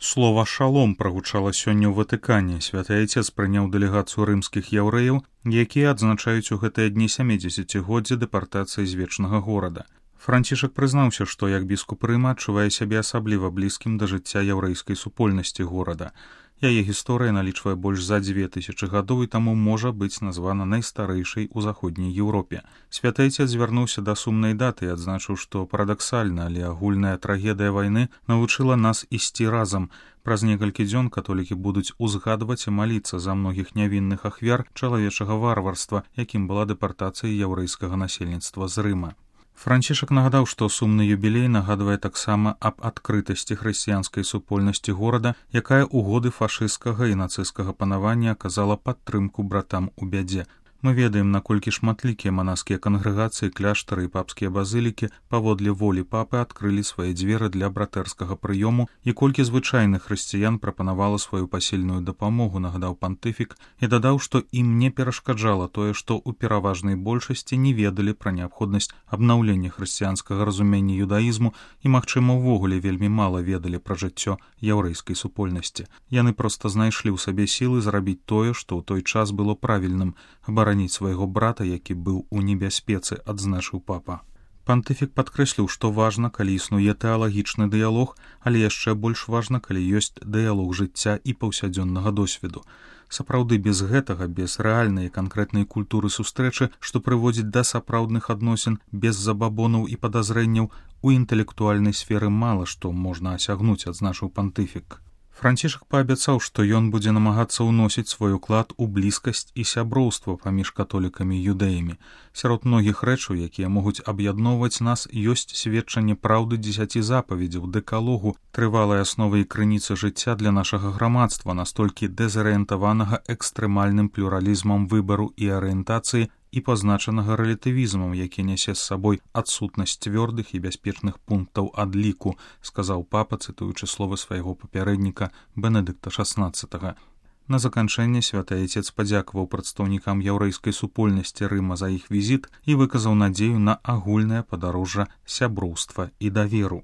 Слова «шалом» прагучала сёння ў Ватыкане. Святы Айцец прыняў дэлегацыю рымскіх яўрэяў, якія адзначаюць у гэтыя дні 70-годдзе дэпартацыі з вечнага горада. Францішак прызнаўся, што як біскуп Рыма адчувае сябе асабліва блізкім да жыцця яўрэйскай супольнасці горада. Яе гісторыя налічвае больш за 2000 гадоў і таму можа быць названа найстарэйшай у заходняй Еўропе. Святы Айцец звярнуўся да сумнай даты і адзначыў, што парадаксальна, але агульная трагедыя вайны навучыла нас ісці разам. Праз некалькі дзён католікі будуць узгадваць і маліцца за многіх нявінных ахвяр чалавечага варварства, якім была дэпартацыя яўрэйскага насельніцтва з Рыма. Францішак нагадаў, што сумны юбілей нагадвае таксама аб адкрытасці хрысціянскай супольнасці горада, якая ў годы фашысцкага і нацысцкага панавання аказала падтрымку братам у бядзе. Мы ведаем, наколькі шматлікія манаскія кангрэгацыі, кляштары і папскія базылікі паводле волі папы адкрылі свае дзверы для братэрскага прыёму і колькі звычайных хрысціян прапанавала сваю пасільную дапамогу, нагадаў пантыфік, і дадаў, што ім не перашкаджала тое, што ў пераважнай большасці не ведалі пра неабходнасць абнаўлення хрысціянскага разумення юдаізму і, магчыма, увогуле вельмі мала ведалі пра жыццё яўрэйскай супольнасці. Яны проста знайшлі ў сабе сілы зрабіць тое, што ў той час было правільным — абараніць свайго брата, які быў у небяспецы, адзначыў папа. Пантыфік падкрэсліў, што важна, калі існуе тэалагічны дыялог, але яшчэ больш важна, калі ёсць дыялог жыцця і паўсядзённага досведу. Сапраўды без гэтага, без рэальнай і канкрэтнай культуры сустрэчы, што прыводзіць да сапраўдных адносін, без забабонаў і падазрэнняў, у інтэлектуальнай сферы мала што можна асягнуць, адзначыў пантыфік. Францішак паабяцаў, што ён будзе намагацца ўносіць свой уклад у блізкасць і сяброўства паміж католікамі і юдэямі. Сярод многіх рэчаў, якія могуць аб'ядноўваць нас, ёсць сведчанне праўды 10 запаведзяў, дэкалогу, трывалай асновы і крыніцы жыцця для нашага грамадства, настолькі дэзарыентаванага экстрэмальным плюралізмам выбару і арыентацыі і пазначанага рэлятывізмам, які нясе з сабой адсутнасць цвёрдых і бяспечных пунктаў адліку, сказаў папа, цытуючы словы свайго папярэдніка Бенедыкта XVI. На заканчэнне святы Айцец падзякаваў прадстаўнікам яўрэйскай супольнасці Рыма за іх візіт і выказаў надзею на агульнае падарожжа сяброўства і даверу.